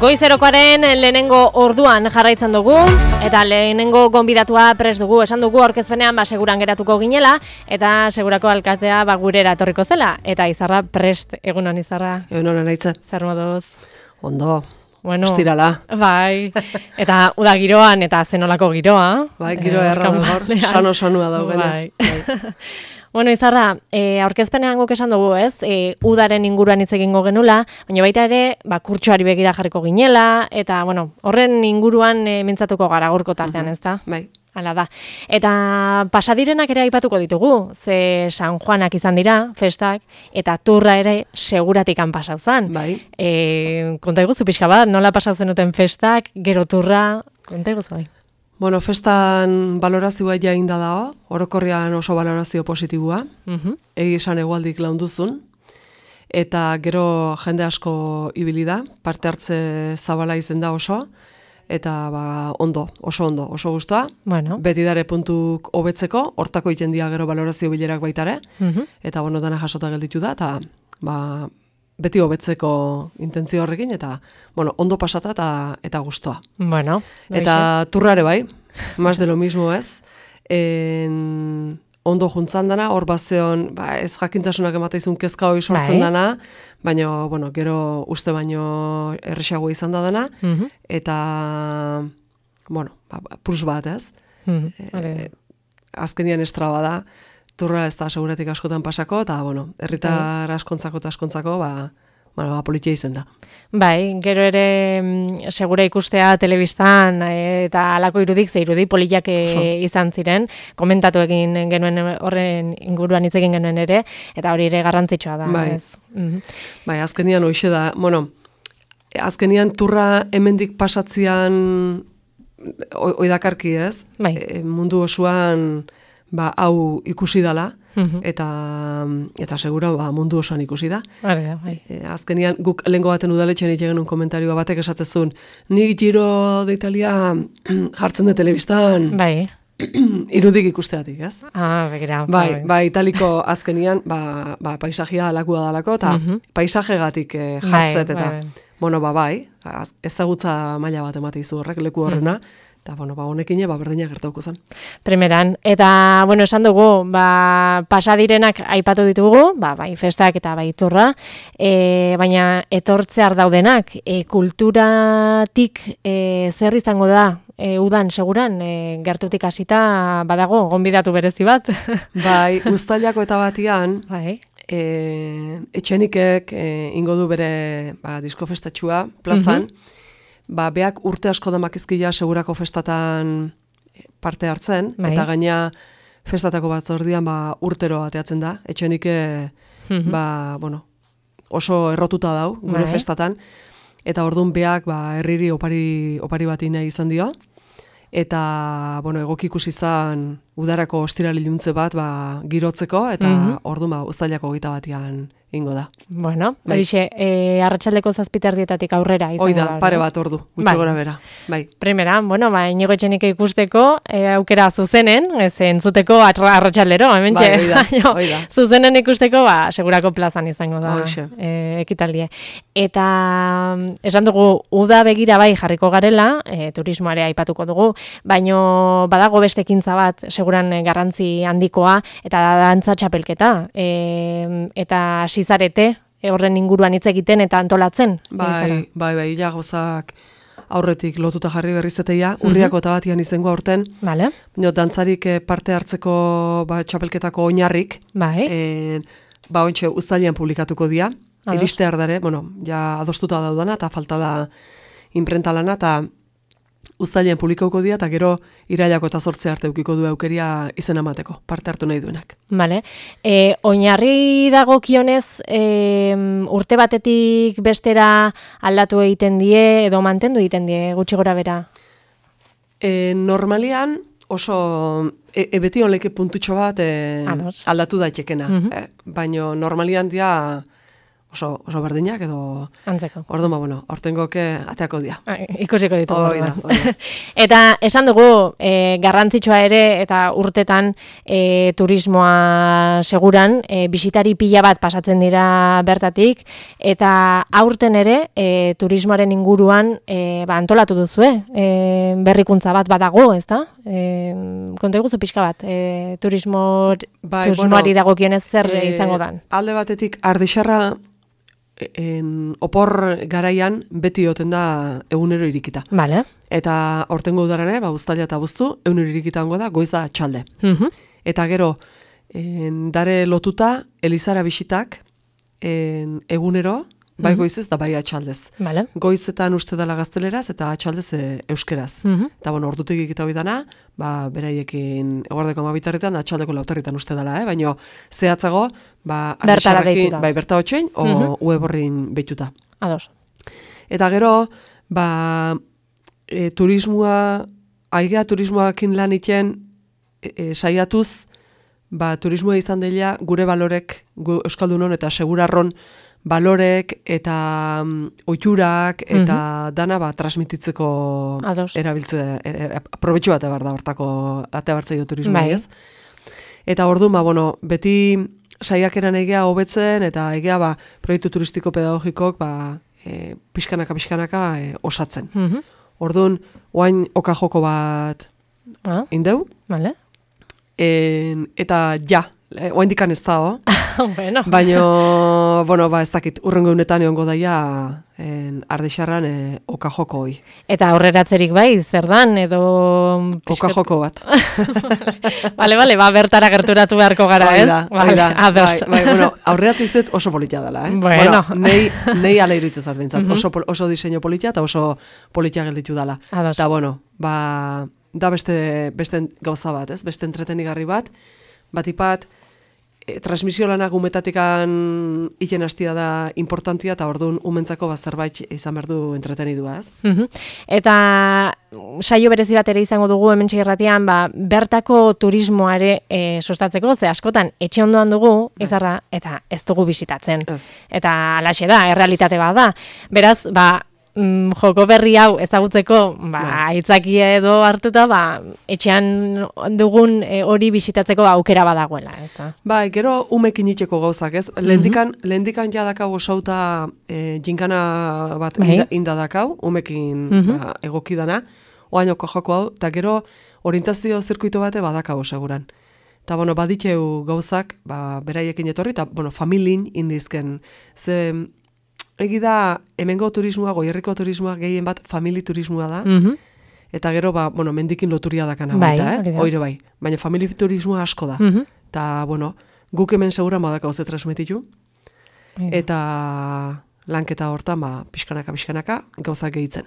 Goizerokoaren lehenengo orduan jarraitzen dugu, eta lehenengo gonbidatua prest dugu, esan dugu aurkezpenean seguran geratuko ginela, eta segurako alkatea gurera etorriko zela, eta Izarra prest, egunon Izarra. Egunon anaitza. Zer moduz? Ondo, bueno, estirala. Bai, eta uda giroan, eta zenolako giroa. Bai, giroa erra gaur, sano-sanua daugena. Bai. Bueno, Izarra, aurkezpenean guk esan dugu, ez? Udaren inguruan hitz egingo genula, baina baita ere, kurtsoari begira jarriko ginela, eta, bueno, horren inguruan mintzatuko gara gaurko tartean, ez da? Bai. Hala da. Eta pasadirenak ere aipatuko ditugu, ze San Juanak izan dira, festak, eta turra ere seguratikan pasau zan. Bai. Konta iguzu pixka bat, nola pasau zenuten festak, gero turra, konta iguzu bai. Bueno, festan balorazioa jain da dago, orokorrian oso balorazio positibua, egi esan egualdik launduzun, eta gero jende asko ibili da, parte hartze zabala izen da oso, eta ondo, oso gustoa. Bueno. Beti dare puntuk hobetzeko, hortako iten dia gero balorazio bilerak baitare, eta dana jasota gelditu da, eta beti hobetzeko intentzio horrekin, eta ondo pasata eta gustoa. Bueno. Eta turrare bai, más de lo mismo ez. Ondo juntzan dana, hor bazeon, ez jakintasunak emateizun kezka hori sortzen dana, baina, gero uste baino erresago izan da dana, eta, plus bat ez. Azkenian estraba da, turra ez da seguretik askotan pasako, eta, herritar askontzako eta askontzako, politia izen da. Bai, gero ere segura ikustea telebistan eta alako irudik, ze irudi poliak izan ziren, komentatu egin genuen horren inguruan hitz egin genuen ere, eta hori ere garrantzitsua da. Bai, bai, azkenian hoxe da, azkenian turra hemendik pasatzian oidakarki ez, mundu osoan hau ikusi dala, eta segura mundu osoan ikusi da. Azkenian guk lehengo baten udaletxean itxegen un komentarioa batek esatezun, nik Giro de Italia jartzen de telebistan irudik ikusteatik, ez? Begira. Bai, italiko azkenian paisajia alakua dalako, eta paisajegatik jartzet, eta ezagutza maila bat emate izu horrek leku horrena, eta, honekin berdinak gertauko zen. Primeran. Eta, esan dugu, pasadirenak aipatu ditugu, bai festak eta bai turra, baina etortzear daudenak, kulturatik zer izango da, udan seguran, gertutik hasita badago, gonbidatu berezi bat. Bai, uztailako eta batian, etxenikek ingo du bere disko festatxua plazan, beak urte asko damakizkia segurako festatan parte hartzen, eta gaina festatako batzordian urtero ateatzen da, etxenike oso errotuta dau, gure festatan, eta orduan beak herriri opari bat nahi izan dio, eta egoki ikusi izan udarako ostiraliluntze bat girotzeko, eta orduan uztailako 21 batian ingo da. Bueno, horixe, arratsaldeko 7:00 aurrera izango da. Hoi da, pare bat ordu, gutxi gora bera. Primera, Inigo Etxenike ikusteko, aukera zuzenen, ez entzuteko arratsaldero, hementxe. Hoi da. Zuzenen ikusteko, segurako plazan izango da ekitaldie. Eta esan dugu, uda begira jarriko garela, turismoare aipatuko dugu, baino badago beste ekintza bat, seguran garrantzi handikoa, eta dantza txapelketa. Eta sizarete horren inguruan hitz egiten eta antolatzen. Bai, gozak aurretik lotuta jarri berrizeteia, urriako eta batian izango aurten, dantzarik parte hartzeko txapelketako oinarrik, ontxe uztailean publikatuko dia, iriste ardare, ja adostuta daudana, eta falta da imprenta lana, eta uztailean publikauko dia, eta gero irailako eta 8 arte eukiko du aukeria izen amateko, parte hartu nahi duenak. Oinarri dagokionez, urte batetik bestera aldatu egiten die, edo mantendu egiten die, gutxi gora bera? Normalian, oso, beti honleke puntutxo bat aldatu daitekena. Baina normalian dia oso berdinak edo antzeko. Orduan, bueno, hortengoke ateako dira. Ikusiko ditugu. Oida. Eta esan dugu, garrantzitsua ere, eta urtetan turismoa seguran, bisitari pila bat pasatzen dira bertatik, eta aurten ere, turismoaren inguruan antolatu duzue, berrikuntza bat badago, ez da? Konta eguzu pixka bat, turismoari dagokionez zer izango dan? Alde batetik, Ardixarra opor garaian beti oten da egunero irikita. Vale. Eta hortengo udaran, uztaila eta buztu, egunero irikita hango da, goiz da txalde. Eta gero, dare lotuta, Elizara bisitak, egunero, bai goizez da bai atxaldez. Vale. Goizetan uste dela gazteleraz eta atxaldez euskeraz. Eta bueno, ordutik ikita hoi dana, beraiekin eguardeko 12:00 atxaldeko 4:00 uste dela, baina zehatzago, bertara deituta. Bai, berta hotxein, o web horrin behituta. Ados. Eta gero, turismoa, aigea turismoakin lan iten, saiatuz, turismoa izan dela gure balorek, Euskaldunon eta segurarron, balorek eta oiturak eta dana transmititzeko erabiltze, aprobetxu bat ebar da hortako ate bartzaio turismoa, ez? Eta orduan, beti saiakeran egea hobetzen eta egea proiektu turistiko pedagogikok pixkanaka osatzen. Orduan, oain oka joko bat indeu. Vale. Eta oain dikan ez da, bueno. Baina, ez dakit, urrengo unetan egongo daia Ardixarran oka joko hoi. Eta aurreratzerik bai, zer dan, edo... Oka joko bat. Bale, bertara gerturatu beharko gara, ez? Bueno, aurreratze izet oso politia dela, Bueno. Nei ala iruditzezat bintzat. Oso diseño politia eta oso politia gelditu dela. Eta, bueno, da beste gauza bat, ez? Beste entretenigarri bat, batipat, transmisio lanak umetatikan iten hastia da importantia, eta orduan umentzako zerbait izan behar du entretenidua, ez? Eta saio berezi bat ere izango dugu hementxe irratian, bertako turismoare sustatzeko, ze askotan etxe ondoan dugu, izarra, eta ez dugu bisitatzen. Eta alaxe da, errealitate bat da. Beraz, joko berri hau ezagutzeko, aitzakia edo hartuta, etxean dugun hori bisitatzeko aukera badagoela, ez da? Gero umekin itxeko gauzak, ez? Lehendikan jadakau osauta jinkana bat indadakau, umekin egokidana, oainoko joko hau, eta gero orientazio zirkuito bate badakau seguran. Eta, baditeu gauzak, beraiekin etorri, eta, familin indizken, ze... Egi da, hemengo turismoa, goierriko turismoa, gehien bat famili turismoa da, eta gero, mendikin loturia dakana baita, oire bai. Baina famili turismoa asko da. Eta, guk hemen segura madaka hoze transmititu, eta lanketa hortan, pixkanaka, gauzak gehitzen.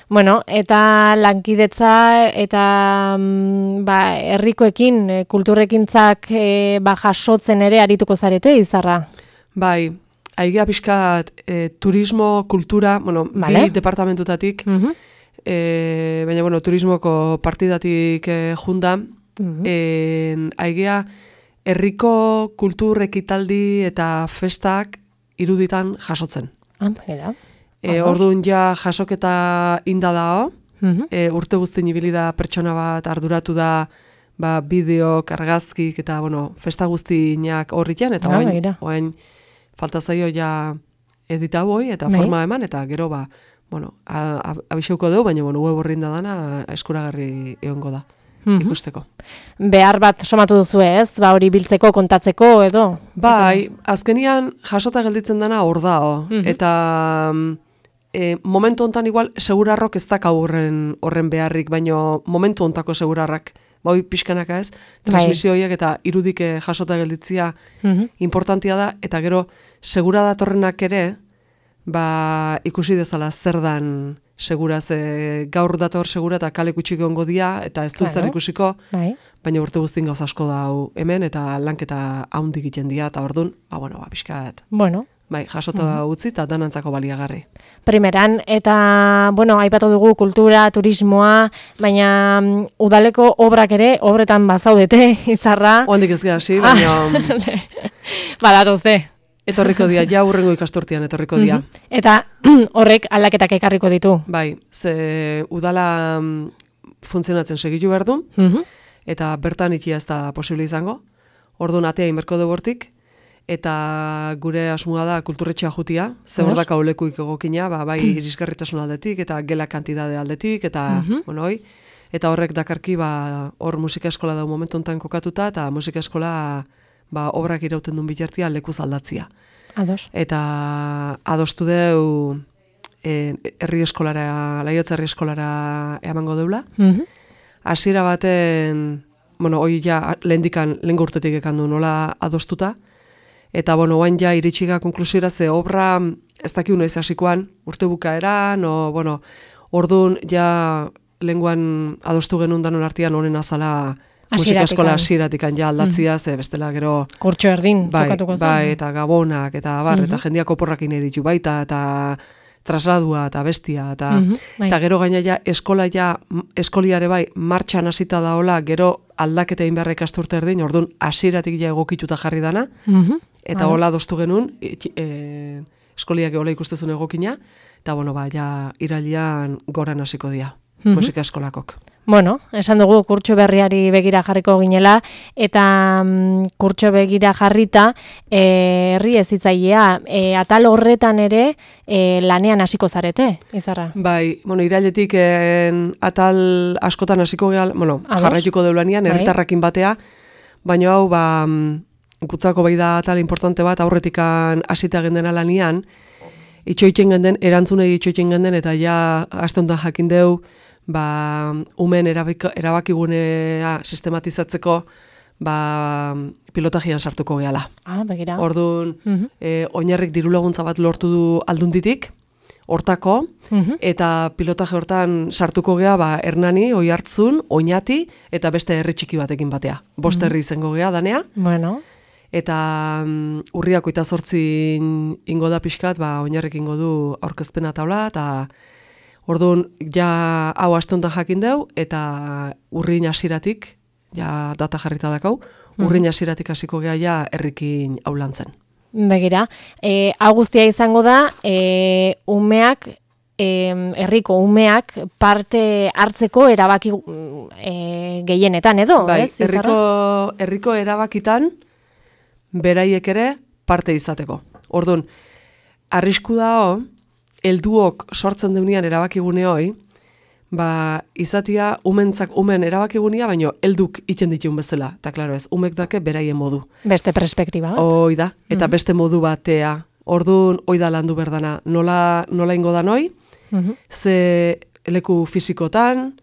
Bueno, eta lankidetza eta herrikoekin, kulturrekintzak jasotzen ere arituko zarete, izarra? Bai, aigea pixkat turismo, kultura, bi departamentutatik, baina, turismoko partidatik junda, aigea herriko kultur ekitaldi eta festak iruditan jasotzen. Orduan jasoketa inda dao, urte guztien ibili da pertsona bat arduratu da bideok, argazkik eta festa guztiak horritan, eta oain falta zaio edita boi eta forma eman, eta gero abixeuko dugu, baina web horrin da dana eskuragarri egongo da. Ikusteko. Behar bat somatu duzu ez? Hori biltzeko, kontatzeko edo? Bai, azkenian jasota gelditzen dana hor da. Eta momentu hontan igual segurarrok ez dakau horren beharrik, baina momentu hontako segurarrak, pixkanaka ez, transmisioiek eta irudik jasota gelditzia importantia da, eta gero segura datorrenak ere, ikusi dezala zer dan seguraz, gaur dator segura eta kale kutsik ongo dia, eta ez du zer ikusiko, baina urte guztin gauz asko da hemen, eta lanketa haundik egiten dia, eta orduan, pixkat. Jasota utzi eta danantzako baliagarri. Primeran, eta, aipatu dugu kultura, turismoa, baina udaleko obrak ere, obretan bazaudete, izarra. Oandik ez gehasi, baina... Badatuzte. Etorriko dia, ja urrengo ikasturtean etorriko dia. Eta horrek aldaketak ekarriko ditu? Bai, ze udala funtzionatzen segitu behar du, eta bertan ikia ez da posible izango. Orduan atea inberko dugu hortik, eta gure asmoa da kulturretxea jutia, ze hor daka olekuik egokina, bai irisgarritasun aldetik, eta gela kantidade aldetik, eta eta horrek dakarki hor musika eskola da momentu enten kokatuta, eta musika eskola obrak irauten duen bitartia lekuz aldatzia. Ados. Eta adostu deu herri eskolara, Laiotze herri eskolara emango deula. Hasiera baten, hoi ja lehen urtetik ekan du nola adostuta, eta oain ja iritsiga konklusiora ze obra ez dakiu noiz hasikoan, urte bukaeran, orduan ja lenguan adostu genuen danon artean honen azala musika eskola hasieratikan ja aldatzia, ze bestela gero kurtso erdin tokatuko zen. Bai, eta gabonak, eta eta jendiak oporrakin editu baita, eta trasladua, eta bestia, eta gero gaina ja eskoliare bai martxan hasita daola, gero aldaketa egin beharra ikasturte erdin, orduan hasieratik ja egokituta jarri dana, eta hola adostu genuen, eskoliak hola ikustezun egokina, eta ja irailean goran hasiko dira. Musika eskolakok. Esan dugu kurtso berriari begira jarriko ginela, eta kurtso begira jarrita herri ezitzailea, atal horretan ere lanean hasiko zarete, Izarra? Bai, irailetik atal askotan hasiko gehala, jarraituko deu lanean, herritarrakin batea, baina hau, gutzako bai da atal importante bat, aurretikan hasita gendena lanean, itxoiten genden, erantzunei itxoiten genden, eta ja, aste honetan jakin deu, umen erabakigunea sistematizatzeko pilotajian sartuko gehala. Begira. Orduan, oinarrik diru laguntza bat lortu du Aldunditik, hortako, eta pilotaje hortan sartuko gea, Hernani, Oiartzun, Oñati, eta beste herri txiki batekin batea. 5 herri izango gea, danea. Eta urriak 28 ingo da pixkat, oinarrik ingo du aurkezpena taula, eta orduan, ja hau aste honetan jakin deu, eta urrin hasieratik, ja data jarrita dakau, urrin hasieratik hasiko gea ja herrikin aulantzen. Begira, hau guztia izango da, umeak, herriko umeak parte hartzeko erabaki gehienetan edo, ez? Herriko erabakitan beraiek ere parte izateko. Orduan, arrisku da helduok sortzen deunean erabakigune hoi, izatia umen erabakigunea, baino helduk iten ditun bezala. Eta, klaro ez, umek dake beraien modu. Beste perspektiba. Hoi da, eta beste modu batea. Orduan, hoi da landu berdana. Nola ingo da noi, ze leku fizikotan,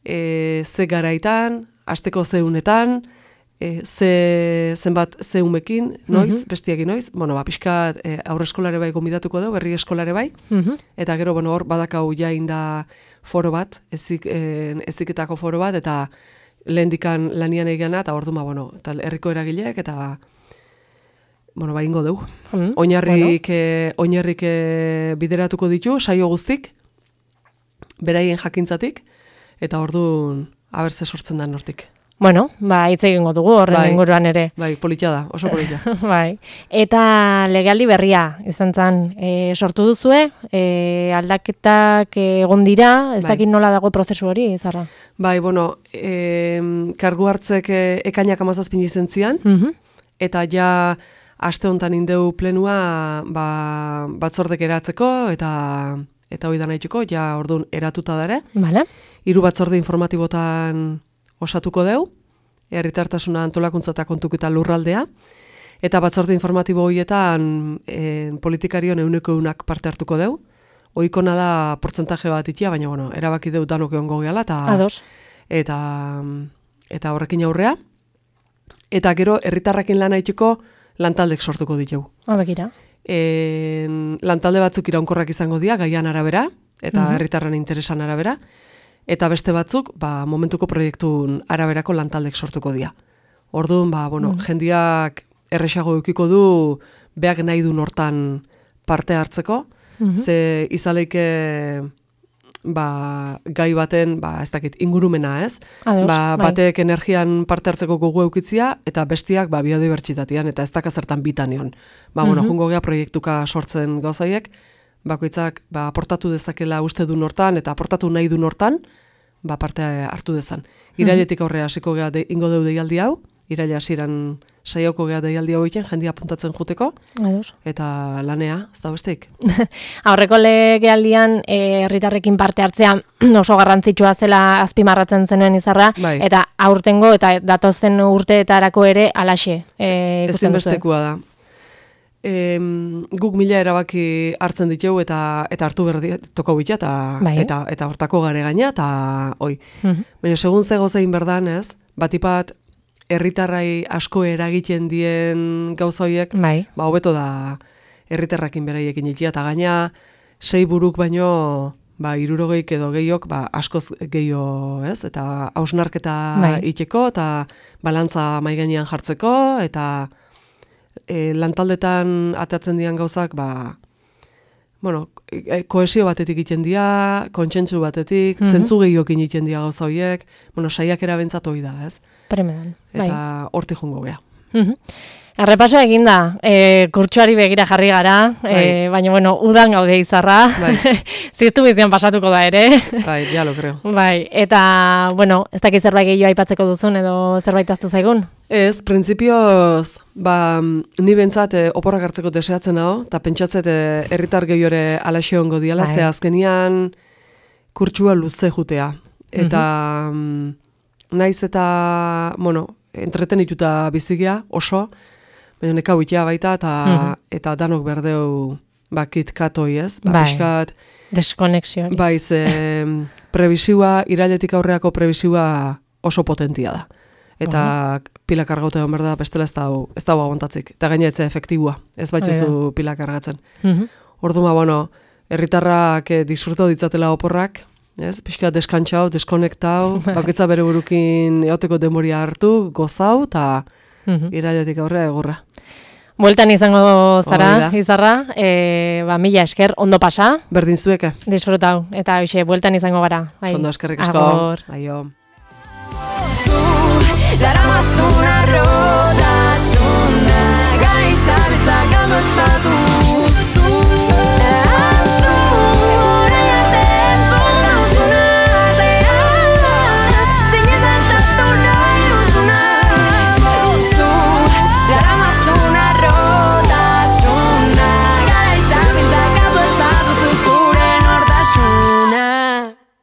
ze garaitan, asteko zeunetan, zenbat zeumekin, noiz, bestiekin noiz, pixkat aurre eskolare bai gombidatuko dugu, herri eskolare bai, eta gero, hor badakau jain da foro bat, eziketako foro bat, eta lehendikan lanian egana, eta hor duma, eta herriko eragileak, eta ingo dugu. Oinarrik bideratuko ditu, saio guztik, beraien jakintzatik, eta orduan abertze sortzen da nortik. Hitz egingo dugu horren inguruan ere. Bai, politia da, oso politia. Eta legealdi berria izan zen, sortu duzue, aldaketak egon dira, ez dakit nola dago prozesu hori, Izarra? Kargu hartzek ekainak 17 izen zian, eta ja aste honetan indeu plenua batzordek eratzeko, eta hori da nahituko, ja orduan eratuta dare. 3 batzorde informatibotan osatuko deu, herritartasuna antolakuntza eta kontuketa lurraldea, eta batzorde informatibo horietan politikarion 100% parte hartuko deu. Ohikona da portzentaje bat itia, baina erabaki deu danok egongo gehala, eta horrekin aurrea. Eta gero, herritarrakin lan haiteko lantaldek sortuko ditugu. Begira. Lantalde batzuk iraunkorrak izango dira, gaian arabera, eta herritarren interesan arabera, eta beste batzuk, momentuko proiektun araberako lantaldek sortuko dira. Orduan, jendiak erresago eukiko du, beak nahi du hortan parte hartzeko, ze izaleike gai baten, ez dakit, ingurumena, ez? Batek energian parte hartzeko gogu eukitzia, eta bestiak biodibertsitatean, eta ez dakazertan bitanion. Jungo gea proiektuka sortzen gauzaiek, bakoitzak aportatu dezakela uste du nortan, eta aportatu nahi du nortan, parte hartu dezan. Irailetik aurrea hasiko gea ingo deu deialdi hau, iraila hasiran saioko gea deialdi hau egiten, jendia apuntatzen juteko, eta lanea, ez da besteik. Aurreko legealdian herritarrekin parte hartzea oso garrantzitsua zela azpimarratzen zenuen Izarra, eta aurtengo eta datozen urteetarako ere alaxe. Ezinbestekoa da. Guk 1000 erabaki hartzen ditugu eta hartu berdi toko bitia eta hortako gare gaina eta hoi. Baina segun ze gozein berdan, ez? Batipat herritarrai asko eragiten dien gauza horiek, hobeto da herritarrakin beraiekin itia eta gaina 6 buruk baino 60 edo gehiok askoz gehiago, ez? Eta hausnarketa iteko eta balantza mahai gainean jartzeko eta lantaldetan atatzen dian gauzak, kohesio batetik egiten dira, kontsentsu batetik, zentzu gehiokin egiten dira gauza horiek, saiak erabentzat hori da, ez? Premedan. Eta hortik jungo gea. Errepaso eginda, kurtsuari begira jarri gara, baina, udan gaude Izarra, ziztu bizian pasatuko da ere. Ja lo creo. Eta, ez dakit zerbait gehiago aipatzeko duzun edo zerbait aztu zaigun? Ez, printzipioz, ni bentsat oporrak hartzeko deseatzen hau, eta pentsatzet herritar gehiore alaxe hongo diala, ze azkenian kurtsua luze jutea. Eta naiz eta, entretenituta bizigea, oso, baina neka huitea baita, eta danok berdeu kitkatoi, ez? Piskat deskonexio. Prebisiua, irailetik aurreako prebisiua oso potentia da. Eta pila kargaute egon berda, bestela ez dago aguantatzik. Eta gaina etze efektibua, ez baitzuzu pila kargatzen. Orduan, herritarrak disfruto ditzatela oporrak, ez? Pixka deskantzau, deskonektau, bakitza bere burukin eoteko demoria hartu, gozau, eta irailetik aurrea egurra. Bueltan izango zara, Izarra, 1000 esker, ondo pasa. Berdin zueke. Disfrutau, eta hoxe, bueltan izango gara. Ondo eskerrik asko. Aio. Darás una roda